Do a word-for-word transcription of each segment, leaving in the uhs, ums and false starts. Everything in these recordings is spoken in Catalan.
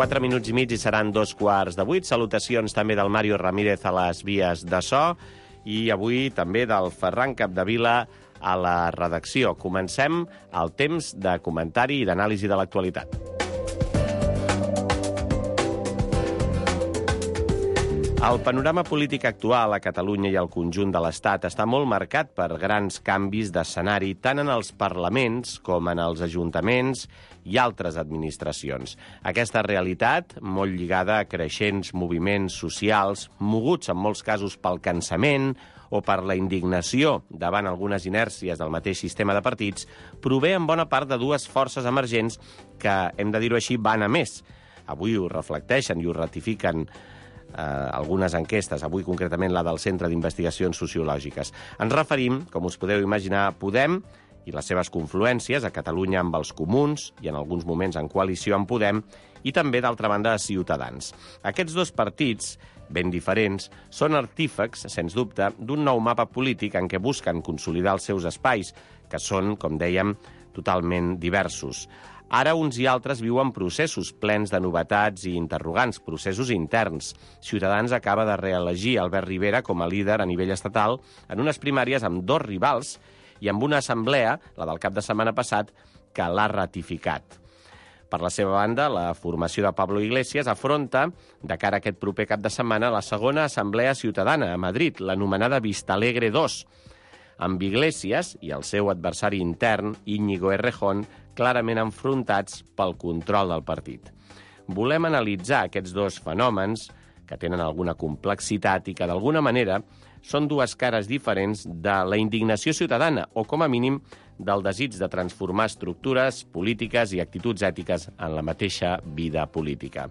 quatre minuts i mig i seran dos quarts de vuit. Salutacions també del Mario Ramírez a les vies de so i avui també del Ferran Capdevila a la redacció. Comencem el temps de comentari i d'anàlisi de l'actualitat. El panorama polític actual a Catalunya i al conjunt de l'Estat està molt marcat per grans canvis d'escenari tant en els parlaments com en els ajuntaments i altres administracions. Aquesta realitat, molt lligada a creixents moviments socials, moguts en molts casos pel cansament o per la indignació davant algunes inèrcies del mateix sistema de partits, prové en bona part de dues forces emergents que, hem de dir-ho així, van a més. Avui ho reflecteixen i ho ratifiquen Eh, algunes enquestes, avui concretament la del Centre d'Investigacions Sociològiques. Ens referim, com us podeu imaginar, a Podem i les seves confluències a Catalunya amb els comuns i en alguns moments en coalició amb Podem i també, d'altra banda, a Ciutadans. Aquests dos partits, ben diferents, són artífecs, sens dubte, d'un nou mapa polític en què busquen consolidar els seus espais, que són, com dèiem, totalment diversos. Ara uns i altres viuen processos plens de novetats i interrogants, processos interns. Ciutadans acaba de reelegir Albert Rivera com a líder a nivell estatal en unes primàries amb dos rivals i amb una assemblea, la del cap de setmana passat, que l'ha ratificat. Per la seva banda, la formació de Pablo Iglesias afronta, de cara a aquest proper cap de setmana, la segona assemblea ciutadana a Madrid, l'anomenada Vistalegre dos, amb Iglesias i el seu adversari intern, Íñigo Errejón, clarament enfrontats pel control del partit. Volem analitzar aquests dos fenòmens, que tenen alguna complexitat i que, d'alguna manera, són dues cares diferents de la indignació ciutadana, o, com a mínim, del desig de transformar estructures polítiques i actituds ètiques en la mateixa vida política.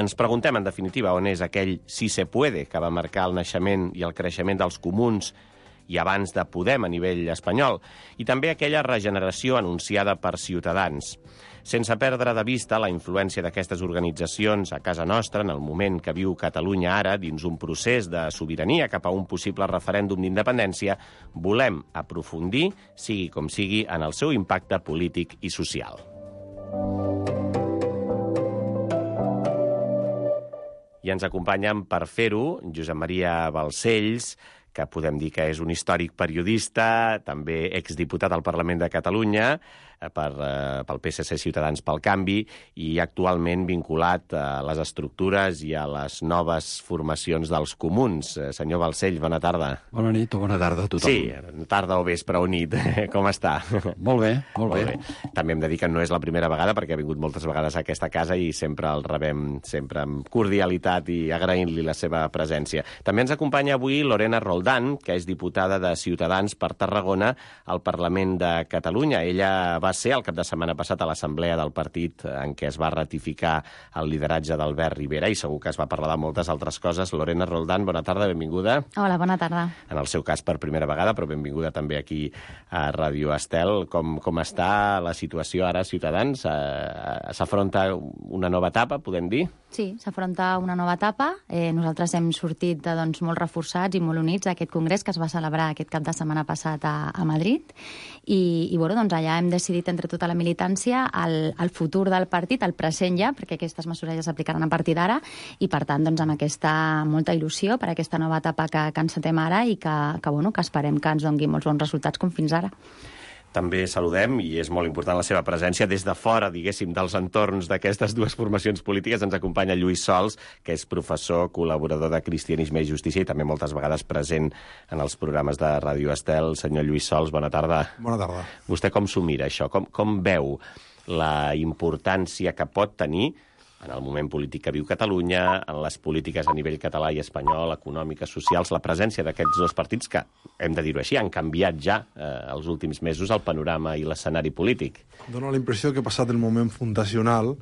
Ens preguntem, en definitiva, on és aquell si se puede que va marcar el naixement i el creixement dels comuns i abans de Podem a nivell espanyol, i també aquella regeneració anunciada per Ciutadans. Sense perdre de vista la influència d'aquestes organitzacions a casa nostra en el moment que viu Catalunya ara dins un procés de sobirania cap a un possible referèndum d'independència, volem aprofundir, sigui com sigui, en el seu impacte polític i social. I ens acompanyen per fer-ho Josep Maria Balcells, que podem dir que és un històric periodista, també exdiputat al Parlament de Catalunya, per, eh, pel P S C Ciutadans pel Canvi, i actualment vinculat a les estructures i a les noves formacions dels comuns. Eh, senyor Balcells, bona tarda. Bona nit o bona tarda a tothom. Sí, tarda o vespre o nit. Com està? Molt bé, molt, molt bé. bé. També hem de dir que no és la primera vegada, perquè ha vingut moltes vegades a aquesta casa i sempre el rebem sempre amb cordialitat i agraint-li la seva presència. També ens acompanya avui Lorena Roldán, que és diputada de Ciutadans per Tarragona al Parlament de Catalunya. Ella va ser el cap de setmana passat a l'assemblea del partit en què es va ratificar el lideratge d'Albert Rivera i segur que es va parlar de moltes altres coses. Lorena Roldán, bona tarda, benvinguda. Hola, bona tarda. En el seu cas per primera vegada, però benvinguda també aquí a Ràdio Estel. Com, com està la situació ara, Ciutadans? S'afronta una nova etapa, podem dir? Sí, s'afronta una nova etapa. Eh, nosaltres hem sortit de, doncs, molt reforçats i molt units a aquest congrés que es va celebrar aquest cap de setmana passat a, a Madrid. I, i bueno, doncs allà hem decidit entre tota la militància el, el futur del partit, el present ja, perquè aquestes mesures ja s'aplicaran a partir d'ara, i per tant, doncs, amb aquesta molta il·lusió per aquesta nova etapa que, que encetem ara i que, que, bueno, que esperem que ens doni molts bons resultats com fins ara. També saludem, i és molt important la seva presència, des de fora, diguéssim, dels entorns d'aquestes dues formacions polítiques. Ens acompanya Lluís Sols, que és professor, col·laborador de Cristianisme i Justícia i també moltes vegades present en els programes de Ràdio Estel. Senyor Lluís Sols, bona tarda. Bona tarda. Vostè com s'ho mira, això? Com, com veu la importància que pot tenir en el moment polític que viu Catalunya, en les polítiques a nivell català i espanyol, econòmiques, socials, la presència d'aquests dos partits que, hem de dir-ho així, han canviat ja eh, els últims mesos el panorama i l'escenari polític? Dóna la impressió que passat el moment fundacional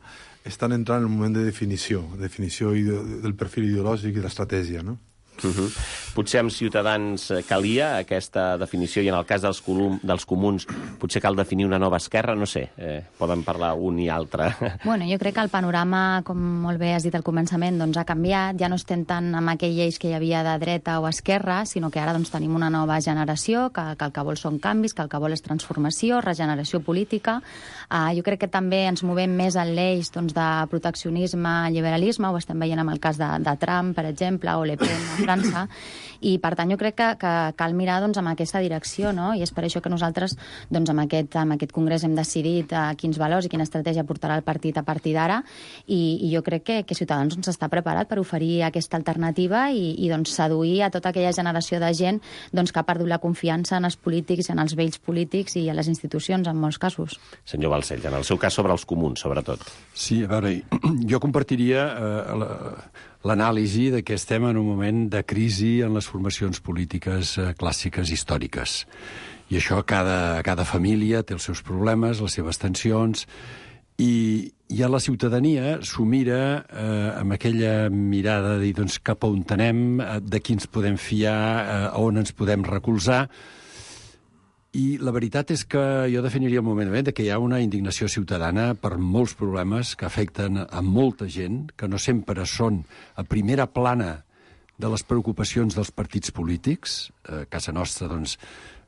estan entrant en el moment de definició, definició del perfil ideològic i d'estratègia, no? Uh-huh. potser amb Ciutadans calia aquesta definició, i en el cas dels, colum, dels comuns potser cal definir una nova esquerra, no sé, eh, poden parlar un i altre. Bueno, jo crec que el panorama, com molt bé has dit al començament, doncs ha canviat, ja no estem tant amb aquell eix que hi havia de dreta o esquerra, sinó que ara doncs, tenim una nova generació que, que el que vol són canvis, que el que vol és transformació, regeneració política. Uh, jo crec que també ens movem més en l'eix doncs, de proteccionisme, liberalisme, ho estem veient amb el cas de, de Trump, per exemple, o Le Pen a França, i per tant jo crec que, que cal mirar doncs, amb aquesta direcció, no? I és per això que nosaltres doncs, amb, aquest, amb aquest congrés hem decidit uh, quins valors i quina estratègia portarà el partit a partir d'ara, i, i jo crec que, que Ciutadans doncs, està preparat per oferir aquesta alternativa i, i doncs, seduir a tota aquella generació de gent doncs, que ha perdut la confiança en els polítics, en els vells polítics i a les institucions, en molts casos. Senyor Balcells, en el seu cas sobre els comuns, sobretot. Sí, a veure, jo compartiria eh, l'anàlisi de que estem en un moment de crisi en les formacions polítiques eh, clàssiques històriques. I això cada, cada família té els seus problemes, les seves tensions, i, i a la ciutadania s'ho mira eh, amb aquella mirada de dir doncs, cap a on anem, de qui ens podem fiar, eh, a on ens podem recolzar. I la veritat és que jo definiria el moment de que hi ha una indignació ciutadana per molts problemes que afecten a molta gent, que no sempre són a primera plana de les preocupacions dels partits polítics. A casa nostra, doncs,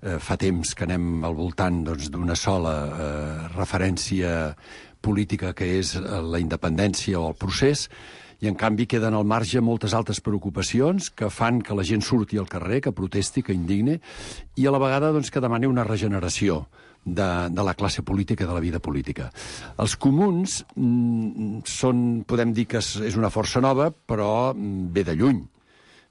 eh, fa temps que anem al voltant doncs, d'una sola eh, referència política, que és la independència o el procés, i en canvi queden al marge moltes altres preocupacions que fan que la gent surti al carrer, que protesti, que indigni, i a la vegada doncs, que demani una regeneració de, de la classe política i de la vida política. Els comuns mm, són, podem dir que és, és una força nova, però ve de lluny.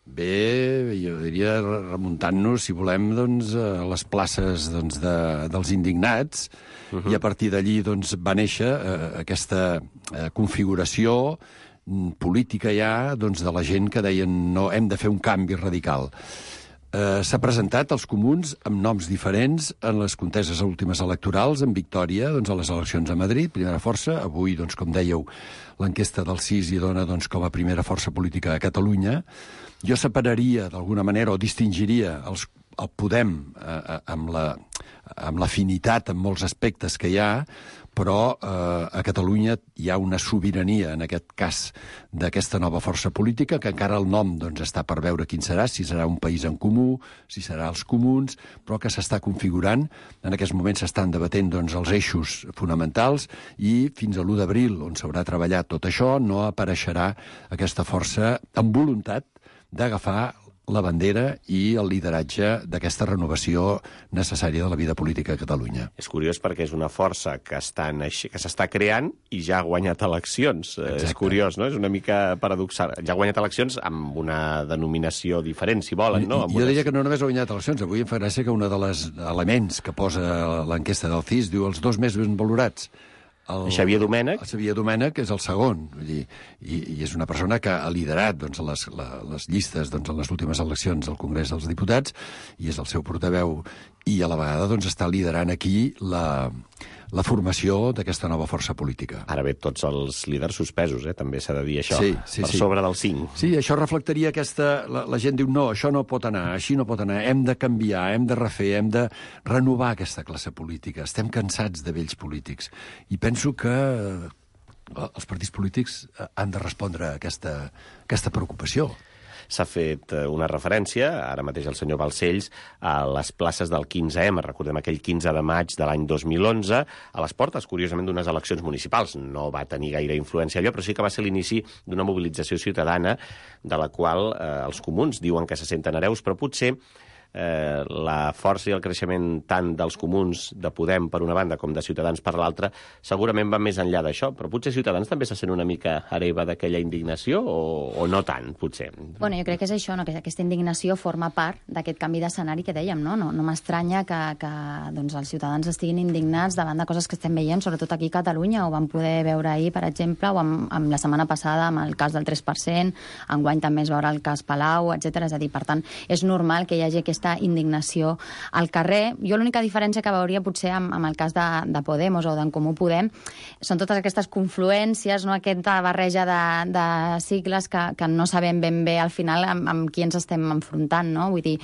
Bé, jo diria, remuntant-nos, si volem, doncs, a les places doncs, de, dels indignats, uh-huh. I a partir d'allí doncs, va néixer eh, aquesta eh, configuració política ja doncs, de la gent que deien no, hem de fer un canvi radical. Eh, S'ha presentat als comuns amb noms diferents en les conteses últimes electorals, en victòria doncs, a les eleccions a Madrid, primera força. Avui, doncs, com dèieu, l'enquesta del C I S hi dona doncs, com a primera força política a Catalunya. Jo separaria, d'alguna manera, o distingiria els, el Podem eh, amb la, amb l'afinitat en molts aspectes que hi ha, però eh, a Catalunya hi ha una sobirania, en aquest cas, d'aquesta nova força política, que encara el nom doncs, està per veure quin serà, si serà un país en comú, si serà els comuns, però que s'està configurant. En aquests moments s'estan debatent doncs, els eixos fonamentals i fins a l'u d'abril, on s'haurà treballat tot això, no apareixerà aquesta força amb voluntat d'agafar la bandera i el lideratge d'aquesta renovació necessària de la vida política a Catalunya. És curiós perquè és una força que està naix... que s'està creant i ja ha guanyat eleccions. Exacte. És curiós, no? És una mica paradoxal. Ja ha guanyat eleccions amb una denominació diferent, si volen, no? Amb jo unes... diria que no només ha guanyat eleccions. Avui em fa gràcia que un dels elements que posa l'enquesta del C I S diu els dos més ben valorats. El, Xavier Domènech. El Xavier Domènech és el segon, vull dir, i, i és una persona que ha liderat doncs, les, la, les llistes doncs, en les últimes eleccions del Congrés dels Diputats, i és el seu portaveu, i a la vegada doncs, està liderant aquí la, la formació d'aquesta nova força política. Ara bé, tots els líders suspesos, eh? També s'ha de dir això, sí, sí, per sí. sobre del cinc. Sí, això reflectaria aquesta... La, la gent diu, no, això no pot anar, així no pot anar, hem de canviar, hem de refer, hem de renovar aquesta classe política. Estem cansats de vells polítics. I penso que els partits polítics han de respondre a aquesta, aquesta preocupació. S'ha fet una referència, ara mateix el senyor Balcells, a les places del quinze ema, recordem aquell quinze de maig de l'any dos mil onze, a les portes, curiosament, d'unes eleccions municipals. No va tenir gaire influència allò, però sí que va ser l'inici d'una mobilització ciutadana de la qual eh, els comuns diuen que se senten hereus, però potser eh, la força i el creixement tant dels comuns de Podem per una banda com de Ciutadans per l'altra segurament va més enllà d'això, però potser Ciutadans també se sent una mica hereva d'aquella indignació o, o no tant, potser. Bueno, jo crec que és això, no? Que aquesta indignació forma part d'aquest canvi d'escenari que dèiem, no? No, no m'estranya que, que doncs, els ciutadans estiguin indignats davant de coses que estem veient, sobretot aquí a Catalunya, ho vam poder veure ahir, per exemple, o amb, amb la setmana passada amb el cas del tres per cent, enguany també es veurà el cas Palau, etcètera. És a dir, per tant, és normal que hi hagi aquesta aquesta indignació al carrer. Jo l'única diferència que veuria potser amb, amb el cas de, de Podemos o d'en Comú Podem són totes aquestes confluències, no? Aquesta barreja de, de sigles que, que no sabem ben bé al final amb, amb qui ens estem enfrontant, no? Vull dir,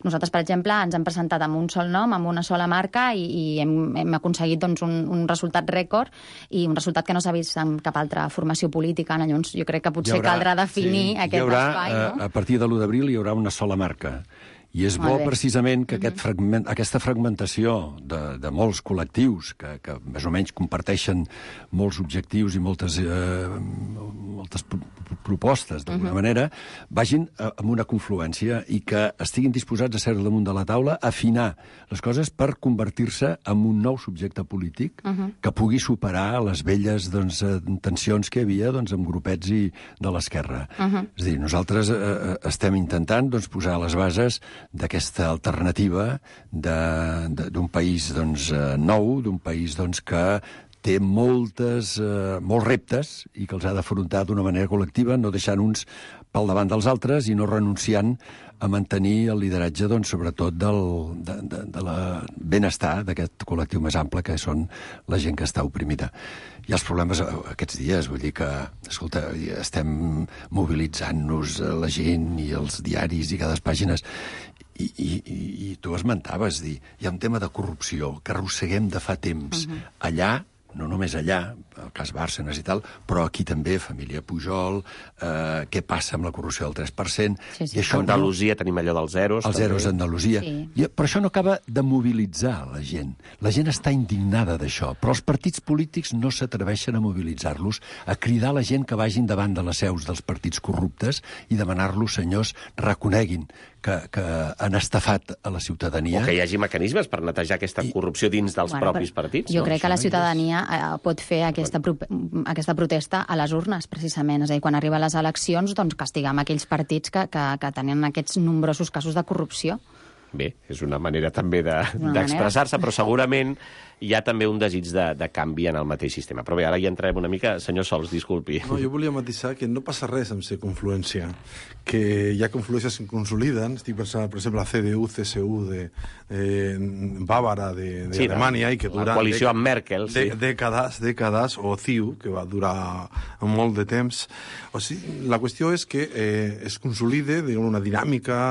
nosaltres, per exemple, ens hem presentat amb un sol nom, amb una sola marca, i, i hem, hem aconseguit doncs, un, un resultat rècord i un resultat que no s'ha vist en cap altra formació política. Llavors, jo crec que potser haurà, caldrà definir sí, aquest haurà, espai. No? A, a partir de l'u d'abril hi haurà una sola marca. I és bo, precisament, que aquest fragment, aquesta fragmentació de, de molts col·lectius que, que més o menys comparteixen molts objectius i moltes, eh, moltes propostes, d'alguna uh-huh. manera, vagin amb una confluència i que estiguin disposats a ser damunt de la taula, a afinar les coses per convertir-se en un nou subjecte polític uh-huh. que pugui superar les velles doncs, tensions que hi havia doncs, amb grupets i de l'esquerra. Uh-huh. És a dir, nosaltres eh, estem intentant doncs, posar les bases d'aquesta alternativa d'un país doncs, nou, d'un país doncs, que té moltes, eh, molts reptes i que els ha d'afrontar d'una manera col·lectiva, no deixant uns pel davant dels altres i no renunciant a mantenir el lideratge, doncs, sobretot del de, de, de la benestar d'aquest col·lectiu més ample, que són la gent que està oprimida. Hi ha els problemes aquests dies, vull dir que, escolta, estem mobilitzant-nos la gent i els diaris i cada pàgines. I, i, i tu esmentaves, dir, hi ha un tema de corrupció que arrosseguem de fa temps. Uh-huh. Allà, no només allà, el cas Bárcenas i tal, però aquí també, família Pujol, eh, què passa amb la corrupció del tres per cent... Sí, sí. I això, a Andalusia no... tenim allò dels zeros. Els zeros d'Andalusia. Sí. I, però això no acaba de mobilitzar la gent. La gent està indignada d'això, però els partits polítics no s'atreveixen a mobilitzar-los, a cridar la gent que vagin davant de les seus dels partits corruptes i demanar-los, senyors, reconeguin que, que han estafat a la ciutadania. O que hi hagi mecanismes per netejar aquesta corrupció dins dels bueno, propis partits. Jo no? crec que la ciutadania eh, pot fer aquesta, pro aquesta protesta a les urnes, precisament. És a dir, quan arriben les eleccions, doncs castiguem aquells partits que, que, que tenen aquests nombrosos casos de corrupció. Bé, és una manera també d'expressar-se, de, però segurament hi ha també un desig de, de canvi en el mateix sistema. Però bé, ara hi entrem una mica. Senyor Sols, disculpi. No, jo volia matisar que no passa res amb ser confluència, que hi ha confluències que consoliden. Estic pensant, per exemple, la C D U, C S U de eh, Bàvara d'Alemanya, sí, i que dura... La coalició amb Merkel, sí. De, dècades, dècades, o C I U, que va durar molt de temps. O sigui, la qüestió és que eh, es consolide una dinàmica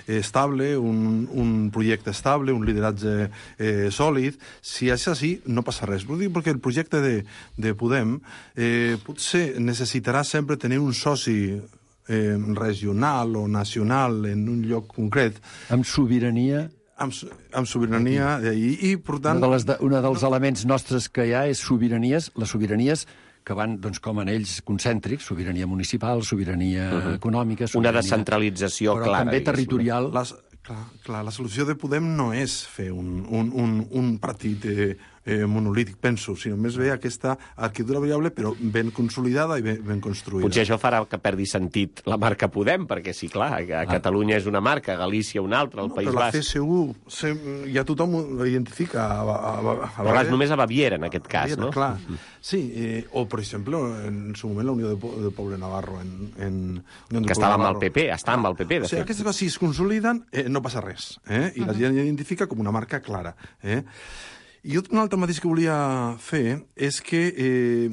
eh, estable, un, un projecte estable, un lideratge eh, sòlid. Si és així, no passa res. Ho dic perquè el projecte de, de Podem eh, potser necessitarà sempre tenir un soci eh, regional o nacional en un lloc concret. Amb sobirania... Amb, amb sobirania, i, i per tant... Una, de les de, una dels elements nostres que hi ha és sobiranies, les sobiranies que van, doncs, com en ells, concèntrics, sobirania municipal, sobirania uh-huh. econòmica... Sobirania, una descentralització però clara. Però també territorial... Les, clar, clar, la solució de Podem no és fer un, un, un, un partit eh, eh, monolític, penso, sinó més bé aquesta arquitectura variable, però ben consolidada i ben, ben construïda. Potser això farà que perdi sentit la marca Podem, perquè sí, clar, a ah. Catalunya és una marca, a Galícia una altra, al no, País Basc... Basc... Però la C S U se, ja tothom ho identifica. A, a, a, a però és només a Baviera, en aquest cas, Baviera, no? Clar. Sí, eh, o, per exemple, en su moment la Unió de, de Poble Navarro. En, en, Unió que estava amb el P P, està amb el P P, de o sigui, fet. Aquestes coses, si es consoliden, eh, no passa res. Eh? I uh-huh. la gent identifica com una marca clara. Eh? I un altre mateix que volia fer és que eh,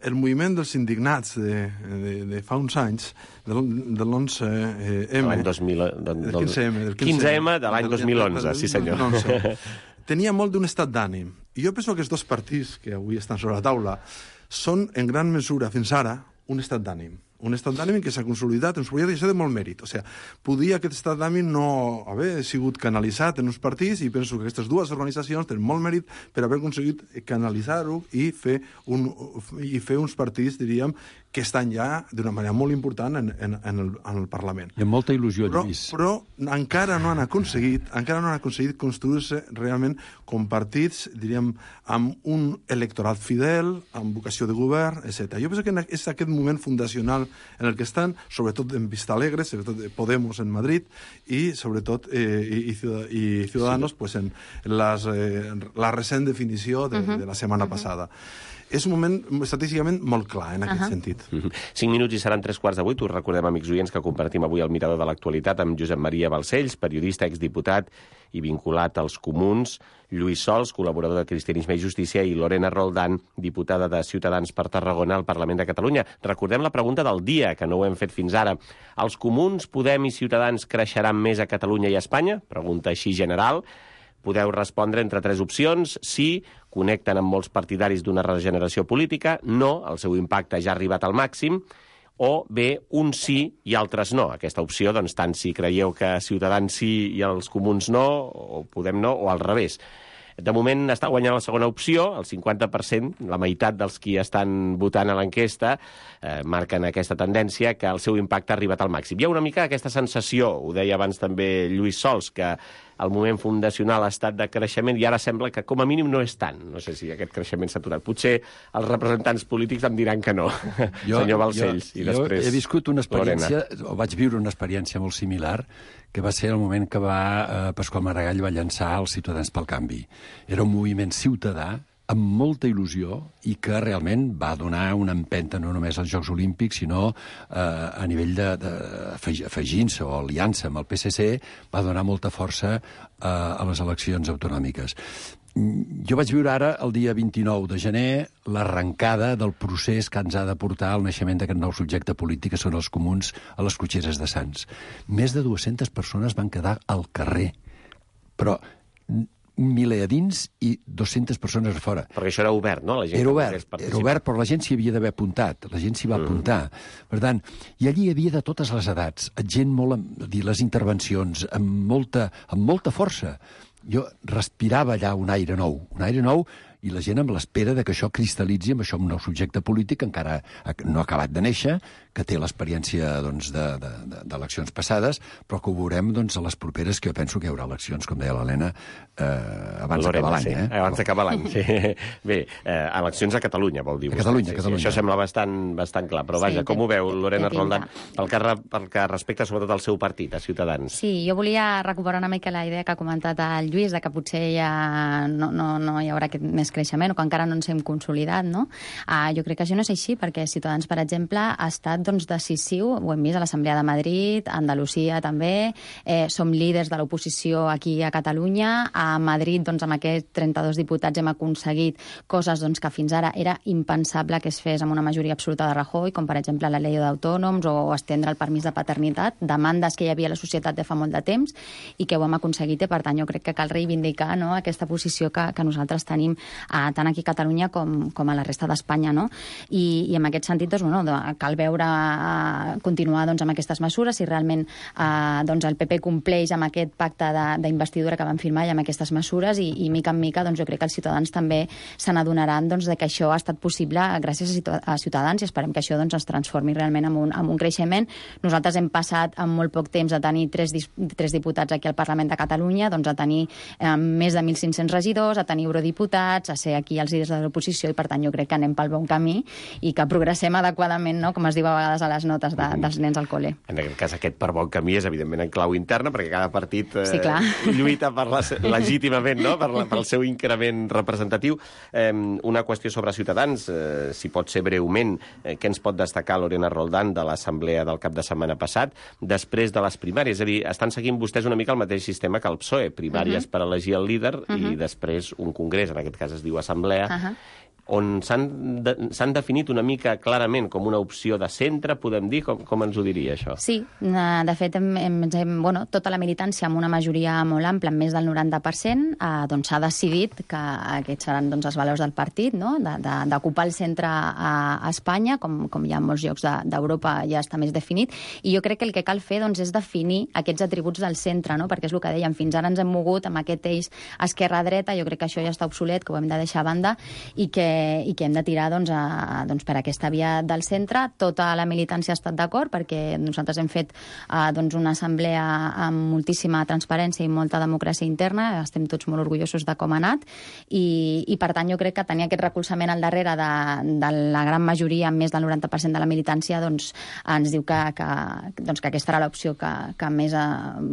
el moviment dels indignats de, de, de fa uns anys, de l'onze eme... L'any dos mil... Del quinze eme. quinze eme de l'any dos mil onze, sí senyor. Tenia molt d'un estat d'ànim. I jo penso que aquests dos partits que avui estan sobre la taula són, en gran mesura, fins ara, un estat d'ànim. Un estat d'ànim que s'ha consolidat en un projecte i això de molt mèrit. O sigui, podia aquest estat d'ànim no haver sigut canalitzat en uns partits i penso que aquestes dues organitzacions tenen molt mèrit per haver aconseguit canalitzar-ho i fer, un, i fer uns partits, diríem, que estan ja d'una manera molt important en, en, en, el, en el Parlament. I amb molta il·lusió, però, Lluís. Però encara no han aconseguit, encara no han aconseguit construir-se realment com partits, diríem, amb un electorat fidel, amb vocació de govern, etcètera. Jo penso que és aquest moment fundacional en el que estan, sobretot en Vista Alegre, sobretot Podemos en Madrid, i sobretot eh, i, i Ciudadanos sí. pues en les, eh, la recent definició de, uh-huh. de la setmana uh-huh. passada. és un moment estratègicament molt clar en aquest uh -huh. sentit. Uh -huh. Cinc minuts i seran tres quarts de vuit. Us recordem, amics oients, que compartim avui el mirador de l'actualitat amb Josep Maria Balcells, periodista, exdiputat i vinculat als Comuns, Lluís Sols, col·laborador de Cristianisme i Justícia, i Lorena Roldán, diputada de Ciutadans per Tarragona al Parlament de Catalunya. Recordem la pregunta del dia, que no ho hem fet fins ara. Els Comuns, Podem i Ciutadans creixeran més a Catalunya i a Espanya? Pregunta així general. Podeu respondre entre tres opcions. Sí, connecten amb molts partidaris d'una regeneració política. No, el seu impacte ja ha arribat al màxim. O bé, un sí i altres no. Aquesta opció, doncs, tant si creieu que Ciutadans sí i els Comuns no, o Podem no, o al revés. De moment està guanyant la segona opció, el cinquanta per cent, la meitat dels qui estan votant a l'enquesta, eh, marquen aquesta tendència que el seu impacte ha arribat al màxim. Hi ha una mica aquesta sensació, ho deia abans també Lluís Sols, que el moment fundacional ha estat de creixement i ara sembla que com a mínim no és tant. No sé si aquest creixement s'ha aturat. Potser els representants polítics em diran que no, jo, senyor Balcells. Jo, I després, jo he viscut una experiència, Lorena. o vaig viure una experiència molt similar, que va ser el moment que va, eh, Pasqual Maragall va llançar els Ciutadans pel Canvi. Era un moviment ciutadà amb molta il·lusió i que realment va donar una empenta no només als Jocs Olímpics, sinó eh, a nivell de, de afegint-se o aliança amb el P S C, va donar molta força eh, a les eleccions autonòmiques. Jo vaig viure ara, el dia vint-i-nou de gener, l'arrencada del procés que ens ha de portar al naixement d'aquest nou subjecte polític, que són els Comuns a les cotxeres de Sants. Més de dues-centes persones van quedar al carrer, però un miler a dins i dues-centes persones a fora. Perquè això era obert, no? La gent era obert, era obert, però la gent s'hi havia d'haver apuntat. La gent s'hi va mm. apuntar. Per tant, i allí hi havia de totes les edats, gent molt, amb, dir, les intervencions, amb molta, amb molta força. Jo respirava allà un aire nou, un aire nou, i la gent amb l'espera de que això cristal·litzi amb això un nou subjecte polític que encara no ha acabat de néixer, que té l'experiència doncs, d'eleccions de, de, passades, però que ho veurem doncs, a les properes, que jo penso que hi haurà eleccions, com deia l'Helena, eh, abans d'acabar l'any. Sí, eh? Abans d'acabar l'any, sí. Bé, eh, eleccions a Catalunya, vol dir. A Catalunya, sí, a Catalunya. Sí, això sembla bastant, bastant clar, però vaja, sí, com ho veu, Lorena té Roldán, pel que, pel que respecta sobretot al seu partit, a Ciutadans? Sí, jo volia recuperar una mica la idea que ha comentat el Lluís, de que potser ja no, no, no hi haurà aquest més creixement, o que encara no ens hem consolidat, no? Uh, jo crec que això no és així, perquè Ciutadans, per exemple, ha estat doncs, decisiu, ho hem vist a l'Assemblea de Madrid, a Andalusia també, eh, som líders de l'oposició aquí a Catalunya, a Madrid, doncs, amb aquests trenta-dos diputats hem aconseguit coses doncs, que fins ara era impensable que es fes amb una majoria absoluta de Rajoy, com per exemple la llei d'autònoms o estendre el permís de paternitat, demandes que hi havia a la societat de fa molt de temps i que ho hem aconseguit, i per tant jo crec que cal reivindicar, no?, aquesta posició que, que nosaltres tenim eh, tant aquí a Catalunya com, com a la resta d'Espanya, no? I, i en aquest sentit, doncs, bueno, cal veure, uh, continuar doncs, amb aquestes mesures, si realment uh, doncs, el P P compleix amb aquest pacte d'investidura que van firmar i amb aquestes mesures, i, i mica en mica doncs, jo crec que els ciutadans també se n'adonaran doncs, de que això ha estat possible gràcies a Ciutadans, i esperem que això doncs, es transformi realment en un, en un creixement. Nosaltres hem passat en molt poc temps a tenir tres, tres diputats aquí al Parlament de Catalunya, doncs, a tenir eh, més de mil cinc-cents regidors, a tenir eurodiputats, a ser aquí els líders de l'oposició, i per tant jo crec que anem pel bon camí i que progressem adequadament, no?, com es diu a vegades a les notes de, dels nens al col·le. En aquest cas, aquest per bon camí és evidentment en clau interna, perquè cada partit eh, sí, lluita per la, legítimament, no?, per la, pel seu increment representatiu. Eh, una qüestió sobre Ciutadans, eh, si pot ser breument, eh, què ens pot destacar Lorena Roldán de l'assemblea del cap de setmana passat, després de les primàries? És a dir, estan seguint vostès una mica el mateix sistema que el P S O E, primàries uh -huh. per elegir el líder uh -huh. i després un congrés, en aquest cas es diu assemblea, uh -huh. on s'han de, s'han definit una mica clarament com una opció de centre, podem dir? Com, com ens ho diria, això? Sí, de fet, hem, hem, bueno, tota la militància amb una majoria molt ampla, amb més del noranta per cent, eh, doncs s'ha decidit que aquests seran doncs, els valors del partit, no?, d'ocupar el centre a, a Espanya, com, com hi ha en molts llocs d'Europa ja està més definit, i jo crec que el que cal fer doncs, és definir aquests atributs del centre, no?, perquè és el que dèiem, fins ara ens hem mogut amb aquest eix esquerra-dreta, jo crec que això ja està obsolet, que ho hem de deixar a banda, i que i que hem de tirar doncs, a, doncs, per aquesta via del centre. Tota la militància ha estat d'acord, perquè nosaltres hem fet eh, doncs, una assemblea amb moltíssima transparència i molta democràcia interna, estem tots molt orgullosos de com ha anat, i, i per tant jo crec que tenir aquest recolzament al darrere de, de la gran majoria, amb més del noranta per cent de la militància, doncs, ens diu que, que, doncs, que aquesta era l'opció que, que més a,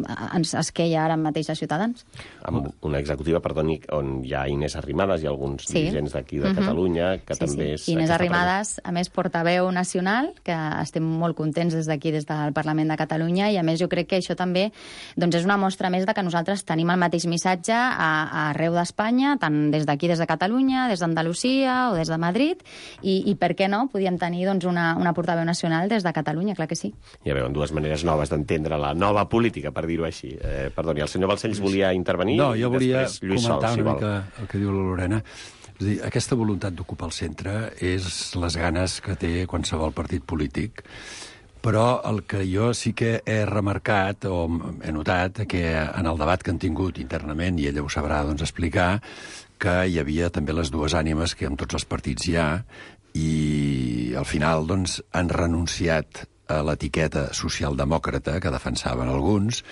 a, ens esqueia ara mateix a Ciutadans. Amb una executiva, perdoni, on hi ha Inés Arrimadas, i alguns Sí. dirigents d'aquí de Mhm. Catalunya, que Sí, també sí. és... I Inés aquesta Arrimadas, a més, portaveu nacional, que estem molt contents des d'aquí, des del Parlament de Catalunya, i a més jo crec que això també doncs, és una mostra més de que nosaltres tenim el mateix missatge a, a arreu d'Espanya, tant des d'aquí, des de Catalunya, des d'Andalusia o des de Madrid, i, i per què no podíem tenir doncs, una, una portaveu nacional des de Catalunya, clar que sí. Ja veuen, dues maneres noves d'entendre la nova política, per dir-ho així. Eh, perdoni, el senyor Balcells volia intervenir? No, jo volia després Lluís comentar Sol, si una vol. mica el que diu la Lorena. És a dir, aquesta voluntat d'ocupar el centre és les ganes que té qualsevol partit polític, però el que jo sí que he remarcat o he notat que en el debat que han tingut internament, i ella ho sabrà doncs, explicar, que hi havia també les dues ànimes que en tots els partits hi ha, i al final doncs, han renunciat a l'etiqueta socialdemòcrata que defensaven alguns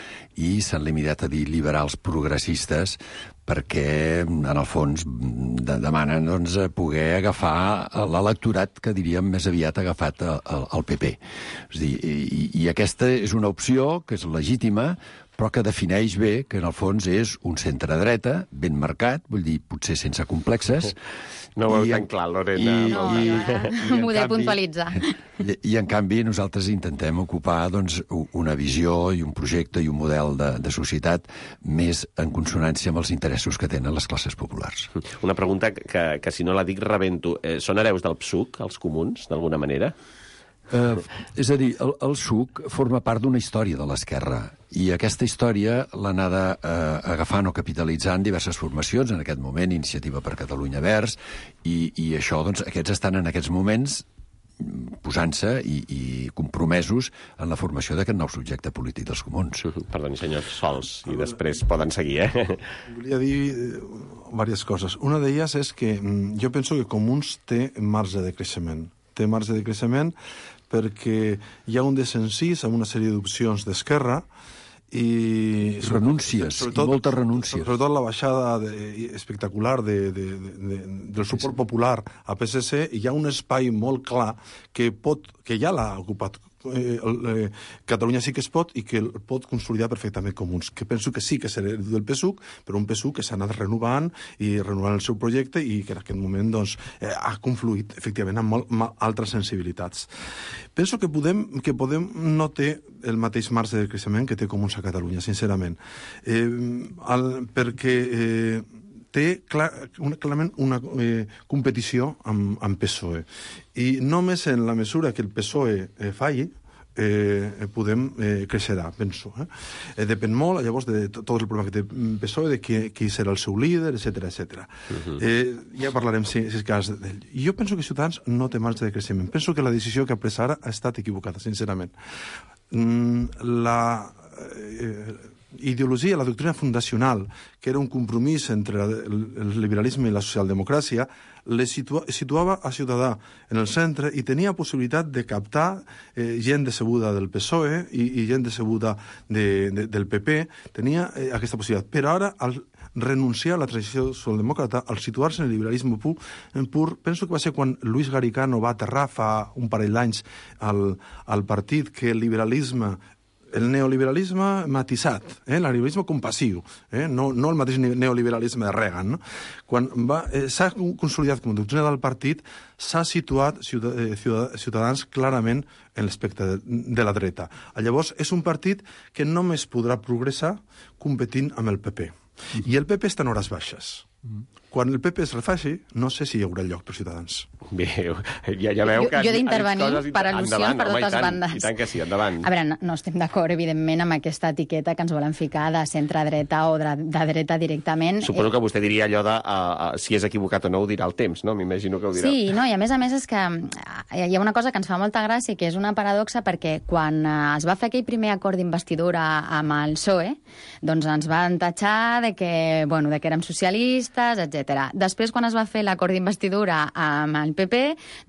i s'han limitat a dir liberals progressistes perquè, en el fons, de demanen doncs, poder agafar l'electorat que, diríem, més aviat ha agafat el, el P P. És a dir, i, i aquesta és una opció que és legítima, però que defineix bé que, en el fons, és un centre-dreta ben marcat, vull dir, potser sense complexes. No ho veu I- tan clar, Lorena. i- No, i- no, i, en m'ho he de canvi- puntualitzar. I, I, en canvi, nosaltres intentem ocupar doncs, u- una visió i un projecte i un model de, de societat més en consonància amb els interessos que tenen les classes populars. Una pregunta que, que si no la dic rebento. Eh, són hereus del P S U C, els comuns, d'alguna manera? Eh, és a dir, el, el S U C forma part d'una història de l'esquerra i aquesta història l'ha anada eh, agafant o capitalitzant diverses formacions, en aquest moment Iniciativa per Catalunya Verds, i, i això, doncs, aquests estan en aquests moments posant-se i, i compromesos en la formació d'aquest nou subjecte polític dels comuns. Perdoni, senyor Sols, i després poden seguir, eh? Volia dir eh, diverses coses. Una d'elles és que mm, jo penso que Comuns té marge de creixement. Té marge de creixement perquè hi ha un desencís amb una sèrie d'opcions d'Esquerra i... Renúncies, i moltes renúncies. Sobretot la baixada de, espectacular de, de, de, de, del suport popular a P S C, hi ha un espai molt clar que, pot, que ja l'ha ocupat eh, eh, Catalunya sí que es pot i que el pot consolidar perfectament Comuns, que penso que sí que serà del P S U C, però un P S U C que s'ha anat renovant i renovant el seu projecte i que en aquest moment doncs, eh, ha confluït efectivament amb molt, amb altres sensibilitats. Penso que Podem, que Podem no té el mateix marge de creixement que té Comuns a Catalunya, sincerament. Eh, el, perquè eh, té clar, una, clarament una eh, competició amb, amb P S O E. I només en la mesura que el P S O E eh, falli, eh, Podem eh, creixerà, penso. Eh? Eh, depèn molt, llavors, de tot el problema que té P S O E, de qui, qui serà el seu líder, etcètera, etcètera. Uh-huh. eh, ja parlarem, si, si és cas, d'ell. I jo penso que Ciutadans no té marge de creixement. Penso que la decisió que ha pres ara ha estat equivocada, sincerament. Mm, la... Eh, ideologia, la doctrina fundacional, que era un compromís entre el, el liberalisme i la socialdemocràcia, le situa, situava a Ciutadà en el centre i tenia possibilitat de captar eh, gent decebuda del P S O E i, i gent decebuda de, de, del P P. Tenia eh, aquesta possibilitat. Però ara, al renunciar a la tradició socialdemòcrata, al situar-se en el liberalisme pur, pur, penso que va ser quan Luis Garicano va aterrar fa un parell d'anys al, al partit que el liberalisme el neoliberalisme matisat, eh? el liberalisme compassiu, eh? no, no el mateix neoliberalisme de Reagan. No? Quan va, eh, s'ha consolidat com a doctrina del partit, s'ha situat Ciutadans clarament en l'aspecte de, de la dreta. Llavors, és un partit que només podrà progressar competint amb el P P. I el P P està en hores baixes. Quan el P P es refaci, no sé si hi haurà lloc per Ciutadans. Bé, ja, ja veu que... Jo, jo he d'intervenir per al·lusions endavant, per home, totes i tant, bandes. I tant que sí, endavant. A veure, no, no estem d'acord, evidentment, amb aquesta etiqueta que ens volen ficar de centre-dreta o de, de dreta directament. Suposo que vostè diria allò de uh, uh, si és equivocat o no ho dirà el temps, no? M'imagino que ho dirà. Sí, no, i a més a més és que hi ha una cosa que ens fa molta gràcia, que és una paradoxa, perquè quan es va fer aquell primer acord d'investidura amb el P S O E, doncs ens van tatxar de que, bueno, de que érem socialistes, etcètera. Després, quan es va fer l'acord d'investidura amb el P P,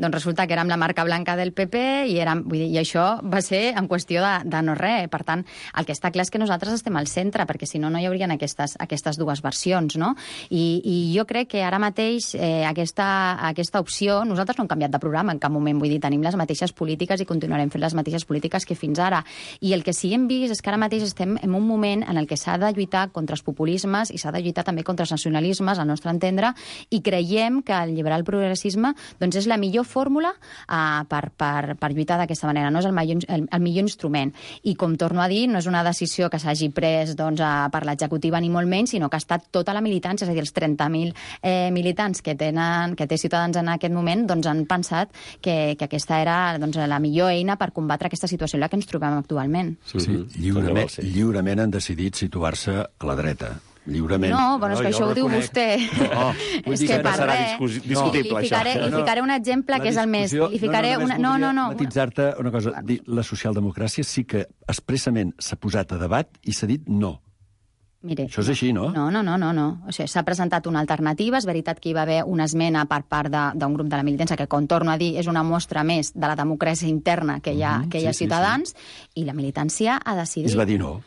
doncs resulta que érem la marca blanca del P P i, érem, vull dir, i això va ser en qüestió de, de no res. Per tant, el que està clar és que nosaltres estem al centre, perquè si no, no hi haurien aquestes, aquestes dues versions, no? I, i jo crec que ara mateix eh, aquesta, aquesta opció, nosaltres no hem canviat de programa en cap moment, vull dir, tenim les mateixes polítiques i continuarem fent les mateixes polítiques que fins ara. I el que sí hem vist és que ara mateix estem en un moment en el que s'ha de lluitar contra els populismes i s'ha de lluitar també contra els nacionalismes, al nostre entendre, entendre, i creiem que el liberal progressisme doncs, és la millor fórmula uh, per, per, per lluitar d'aquesta manera, no és el millor, el, el millor instrument. I com torno a dir, no és una decisió que s'hagi pres doncs, a, per l'executiva ni molt menys, sinó que ha estat tota la militància, és a dir, els trenta mil eh, militants que, tenen, que té Ciutadans en aquest moment doncs, han pensat que, que aquesta era doncs, la millor eina per combatre aquesta situació en la que ens trobem actualment. Sí, sí. Lliurement, lliurement han decidit situar-se a la dreta. Lliurement. No, bueno, és que no, això ho diu vostè. No, vull dir que no serà discutible, li ficaré, això. Li ficaré un exemple que és el més... Li ficaré no, una... no, no, no. Matitzar-te una cosa. La socialdemocràcia sí que expressament s'ha posat a debat i s'ha dit no. Mire, això és així, no? No, no, no, no. no. O sigui, s'ha presentat una alternativa. És veritat que hi va haver una esmena per part d'un grup de la militància que, com torno a dir, és una mostra més de la democràcia interna que hi ha, mm -hmm, que hi ha sí, Ciutadans, sí, sí. I la militància ha decidit... Es va dir no.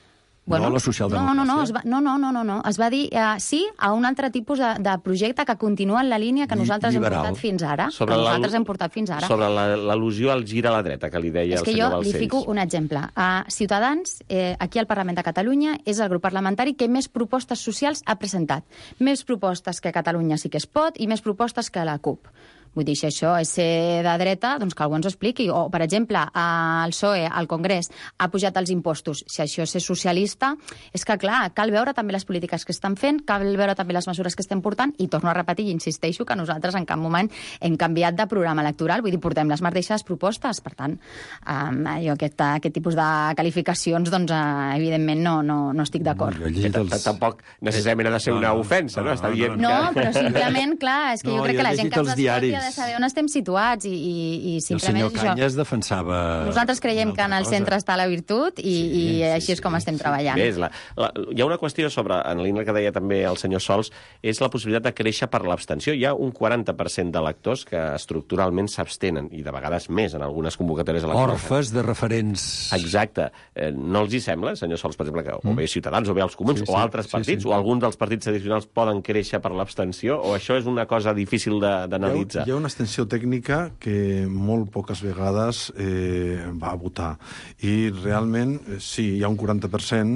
Bueno, no a la socialdemocràcia. No, no, no, es va, no, no, no, no, no. Es va dir uh, sí a un altre tipus de, de projecte que continua en la línia que nosaltres Liberal. hem portat fins ara. Sobre que nosaltres hem portat fins ara. Sobre l'al·lusió al gir a la dreta, que li deia el senyor Balcells. És que jo li fico un exemple. Uh, Ciutadans, eh, aquí al Parlament de Catalunya, és el grup parlamentari que més propostes socials ha presentat. Més propostes que Catalunya sí que es pot i més propostes que la CUP. Vull dir, si això és ser de dreta, doncs que algú ens ho expliqui. O, per exemple, el P S O E, al Congrés, ha pujat els impostos. Si això és ser socialista, és que, clar, cal veure també les polítiques que estan fent, cal veure també les mesures que estem portant, i torno a repetir i insisteixo que nosaltres en cap moment hem canviat de programa electoral. Vull dir, portem les mateixes propostes. Per tant, eh, jo aquest, aquest tipus de qualificacions, doncs, eh, evidentment, no, no, no estic d'acord. Els... Tampoc necessàriament ha de ser una ofensa, no? Està dient no, que... però simplement, clar, és que no, jo crec jo que la gent que ens escolti ha de saber on estem situats i, i, i simplement... El senyor Cañas defensava... Nosaltres creiem que en el centre està la virtut i, sí, i així sí, és com sí, estem sí. treballant. Bé, la, la, hi ha una qüestió sobre, en la línia que deia també el senyor Sols, és la possibilitat de créixer per l'abstenció. Hi ha un quaranta per cent d'electors que estructuralment s'abstenen, i de vegades més en algunes convocatòries electorals. Orfes de referents... Exacte. Eh, no els hi sembla, senyor Sols, per exemple, que o bé Ciutadans, o bé els Comuns, sí, sí, o altres partits, sí, sí. o alguns dels partits tradicionals poden créixer per l'abstenció, o això és una cosa difícil d'analitzar? Hi ha una abstenció tècnica que molt poques vegades eh, va a votar. I realment, sí, hi ha un quaranta per cent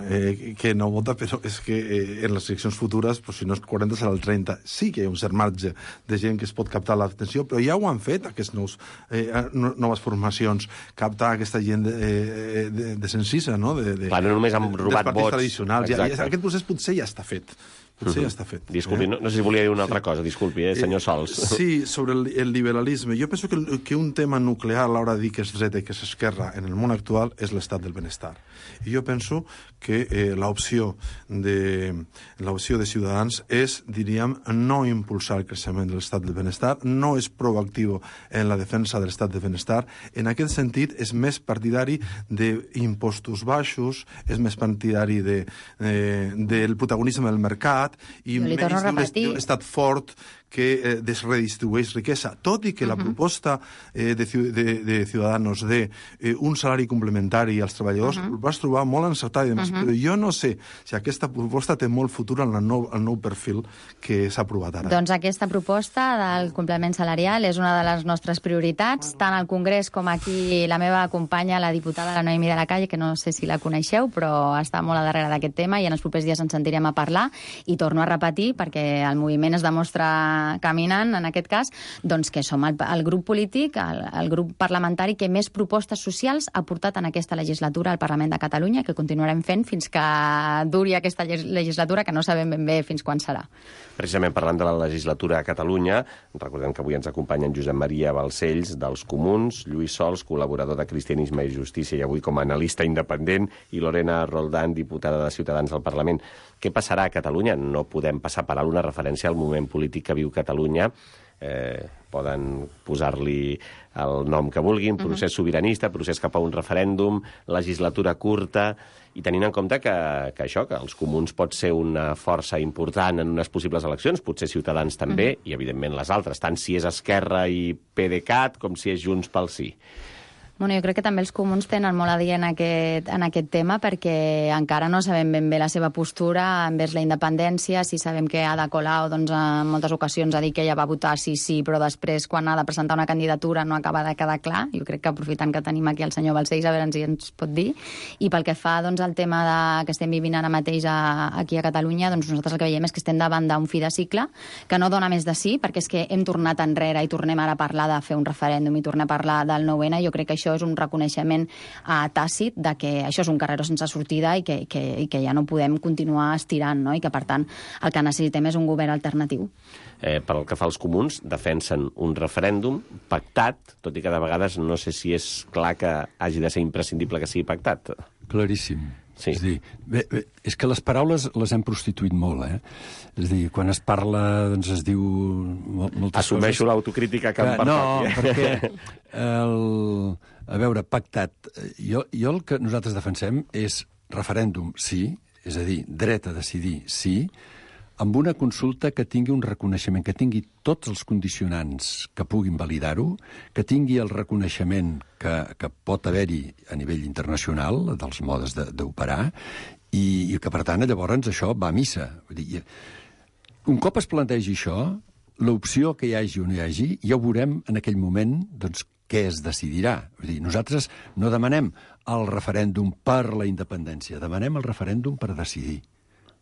eh, que no vota, però és que eh, en les eleccions futures, pues, si no és quaranta serà el trenta. Sí que hi ha un cert marge de gent que es pot captar l'atenció, però ja ho han fet aquests nous, eh, noves formacions, captar aquesta gent de, de, de, de sensissa, no? De, de, Clar, no només han robat vots. Tradicionals. Ja, ja, aquest procés potser ja està fet. Potser ja està fet. Disculpi, eh? no, no sé si volia dir una altra cosa, disculpi, eh, senyor Sols. Sí, sobre el, el liberalisme. Jo penso que, que un tema nuclear a l'hora de dir que és dreta i que és esquerra en el món actual és l'estat del benestar. I jo penso que eh, l'opció de, l'opció de Ciutadans és, diríem, no impulsar el creixement de l'estat del benestar, no és proactiu en la defensa de l'estat del benestar. En aquest sentit, és més partidari d'impostos baixos, és més partidari de, eh, del protagonisme del mercat, i menys d'un estat fort que eh, desredistribueix riquesa, tot i que uh -huh. la proposta eh, de, de, de Ciudadanos de eh, un salari complementari als treballadors uh -huh. ho vas trobar molt encertat i demás, uh -huh. però jo no sé si aquesta proposta té molt futur en el nou, el nou perfil que s'ha aprovat ara. Doncs aquesta proposta del complement salarial és una de les nostres prioritats, tant al Congrés com aquí la meva companya, la diputada la Noemi de la Calle, que no sé si la coneixeu, però està molt a darrere d'aquest tema i en els propers dies ens sentirem a parlar, i torno a repetir, perquè el moviment es demostra caminant, en aquest cas, doncs que som el, el grup polític, el, el grup parlamentari que més propostes socials ha portat en aquesta legislatura al Parlament de Catalunya, que continuarem fent fins que duri aquesta legislatura, que no sabem ben bé fins quan serà. Precisament parlant de la legislatura a Catalunya, recordem que avui ens acompanyen Josep Maria Balcells, dels Comuns, Lluís Sols, col·laborador de Cristianisme i Justícia, i avui com a analista independent, i Lorena Roldán, diputada de Ciutadans al Parlament. Què passarà a Catalunya? No podem passar per alt una referència al moment polític que viu Catalunya. Eh, poden posar-li el nom que vulguin, procés sobiranista, procés cap a un referèndum, legislatura curta, i tenint en compte que, que això, que els Comuns pot ser una força important en unes possibles eleccions, potser Ciutadans també, uh-huh. i evidentment les altres, tant si és Esquerra i PDeCAT com si és Junts pel Sí. Bueno, jo crec que també els comuns tenen molt a dir en aquest, en aquest tema perquè encara no sabem ben bé la seva postura envers la independència. Si sabem que Ada Colau doncs, en moltes ocasions ha dit que ella va votar sí, sí, però després quan ha de presentar una candidatura no acaba de quedar clar. Jo crec que aprofitant que tenim aquí el senyor Balcells a veure si ens pot dir. I pel que fa doncs, al tema de, que estem vivint ara mateix a, aquí a Catalunya, doncs nosaltres el que veiem és que estem davant d'un fi de cicle que no dona més de sí, perquè és que hem tornat enrere i tornem ara a parlar de fer un referèndum i tornem a parlar del nou ene. Jo crec que això és un reconeixement uh, tàcit de que això és un carreró sense sortida i que, que, i que ja no podem continuar estirant, no? I que, per tant, el que necessitem és un govern alternatiu. Eh, pel que fa als comuns, defensen un referèndum pactat, tot i que de vegades no sé si és clar que hagi de ser imprescindible que sigui pactat. Claríssim. Sí. És dir, bé, bé, és que les paraules les hem prostituït molt, eh? És dir, quan es parla, doncs es diu moltes Assumeixo coses... Assumeixo l'autocrítica que em pertoqui. No, perquè el, a veure, pactat, jo, jo el que nosaltres defensem és referèndum, sí, és a dir, dret a decidir, sí, amb una consulta que tingui un reconeixement, que tingui tots els condicionants que puguin validar-ho, que tingui el reconeixement que, que pot haver-hi a nivell internacional dels modes d'operar i, i que, per tant, llavors això va a missa. Vull dir, un cop es plantegi això, l'opció que hi hagi o no hi hagi, ja ho veurem en aquell moment doncs, què es decidirà. Vull dir, nosaltres no demanem el referèndum per la independència, demanem el referèndum per decidir.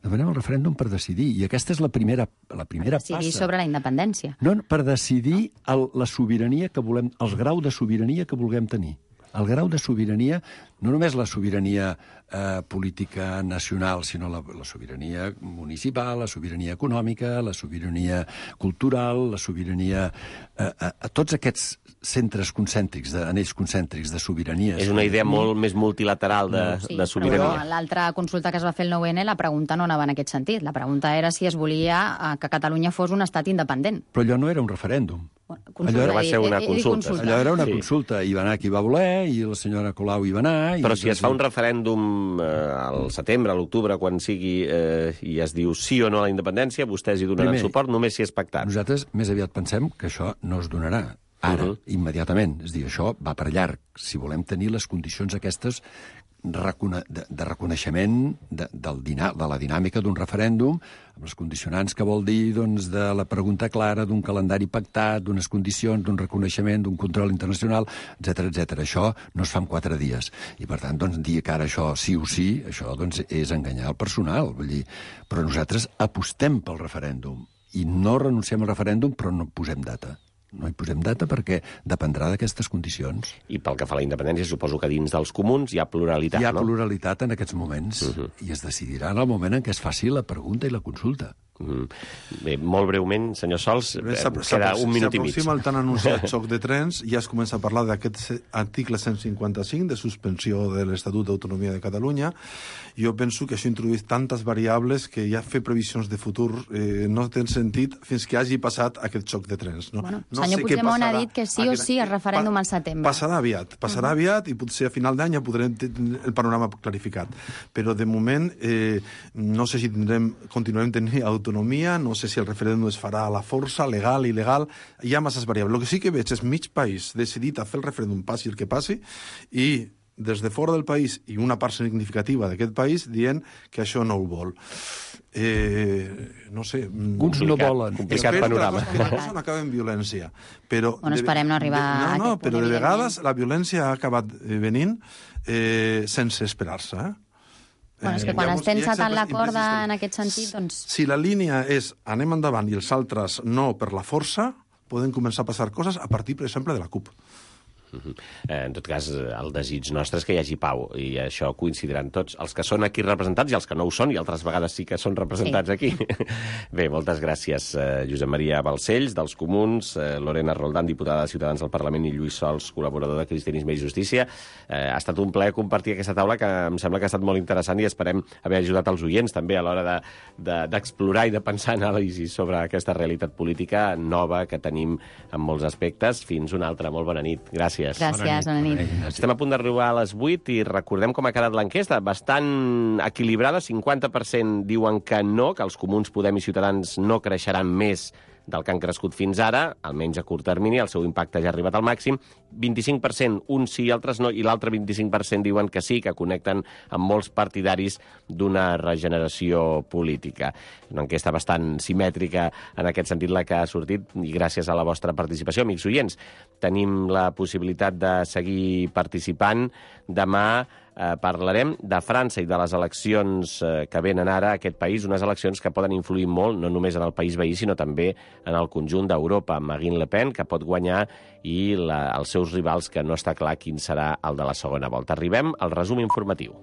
Demanem el referèndum per decidir, i aquesta és la primera, la primera passa. Decidir passa. sobre la independència. No, per decidir el, la sobirania que volem, el grau de sobirania que vulguem tenir. El grau de sobirania, no només la sobirania eh, política nacional, sinó la, la sobirania municipal, la sobirania econòmica, la sobirania cultural, la sobirania... Eh, a, a tots aquests centres concèntrics, de, anells concèntrics de sobiranies. És una idea molt més multilateral de, sí, de sobirania. Però l'altra consulta que es va fer el nou ene, la pregunta no anava en aquest sentit. La pregunta era si es volia que Catalunya fos un estat independent. Però allò no era un referèndum. Consulta, allò va ser una he, he, he consulta. consulta. Allò era una sí. consulta. Hi va anar qui va voler, i la senyora Colau hi va anar... I Però si es fa un referèndum eh, al setembre, a l'octubre, quan sigui, eh, i es diu sí o no a la independència, vostès hi donaran Primer, suport només si és pactat. Nosaltres més aviat pensem que això no es donarà ara, uh -huh. immediatament. És a dir, això va per llarg. Si volem tenir les condicions aquestes recone de, de reconeixement de, del dina de la dinàmica d'un referèndum, amb els condicionants que vol dir doncs, de la pregunta clara, d'un calendari pactat, d'unes condicions, d'un reconeixement, d'un control internacional, etcètera, etcètera. Això no es fa en quatre dies. I, per tant, doncs, dir que ara això sí o sí, això doncs, és enganyar el personal. Vull dir, però nosaltres apostem pel referèndum i no renunciem al referèndum, però no posem data. No hi posem data perquè dependrà d'aquestes condicions. I pel que fa a la independència, suposo que dins dels comuns hi ha pluralitat, no? Hi ha no? pluralitat en aquests moments, uh -huh. i es decidirà en el moment en què es faci la pregunta i la consulta. Mm. Bé, molt breument, senyor Sols, eh, queda un minut i mig. S'aproxima el tan anunciat xoc de trens, ja es comença a parlar d'aquest article cent cinquanta-cinc de suspensió de l'Estatut d'Autonomia de Catalunya. Jo penso que això introdueix tantes variables que ja fer previsions de futur eh, no té sentit fins que hagi passat aquest xoc de trens. No, bueno, no senyor sé Puigdemont ha dit que sí o sí el referèndum pa al setembre. Passarà aviat, passarà uh -huh. aviat, i potser a final d'any ja podrem tenir el panorama clarificat. Però de moment eh, no sé si tindrem, continuarem tenint autonomia, no sé si el referèndum es farà a la força, legal, il·legal, hi ha masses variables. El que sí que veig és mig país decidit a fer el referèndum passi el que passi, i des de fora del país, i una part significativa d'aquest país, dient que això no ho vol. Eh, no sé... Uns no volen. Complicat panorama. Que la cosa no acaba en violència. Però bueno, esperem no arribar de, no, a no, aquest punt, però de vegades la violència ha acabat venint eh, sense esperar-se, eh? Bueno, és que quan es tensa tant la corda en aquest sentit, doncs... Si la línia és anem endavant i els altres no per la força, poden començar a passar coses a partir, per exemple, de la CUP. En tot cas, el desig nostre és que hi hagi pau, i això coincidiran tots, els que són aquí representats i els que no ho són, i altres vegades sí que són representats sí. aquí. Bé, moltes gràcies, eh, Josep Maria Balcells, dels Comuns, eh, Lorena Roldán, diputada de Ciutadans al Parlament, i Lluís Sols, col·laborador de Cristianisme i Justícia. Eh, ha estat un plaer compartir aquesta taula, que em sembla que ha estat molt interessant, i esperem haver ajudat els oients també a l'hora d'explorar de, de, i de pensar anàlisis sobre aquesta realitat política nova que tenim en molts aspectes. Fins una altra. Molt bona nit. Gràcies. Gràcies, bona nit. Estem a punt d'arribar a les vuit i recordem com ha quedat l'enquesta. Bastant equilibrada, cinquanta per cent diuen que no, que els Comuns, Podem i Ciutadans no creixeran més del que han crescut fins ara, almenys a curt termini, el seu impacte ja ha arribat al màxim. vint-i-cinc per cent uns sí i altres no, i l'altre vint-i-cinc per cent diuen que sí, que connecten amb molts partidaris d'una regeneració política. Una enquesta bastant simètrica en aquest sentit la que ha sortit, i gràcies a la vostra participació, amics oients. Tenim la possibilitat de seguir participant. Demà eh, parlarem de França i de les eleccions eh, que venen ara a aquest país, unes eleccions que poden influir molt, no només en el país veí, sinó també en el conjunt d'Europa, amb Marine Le Pen, que pot guanyar, i la, els seus rivals, que no està clar quin serà el de la segona volta. Arribem al resum informatiu.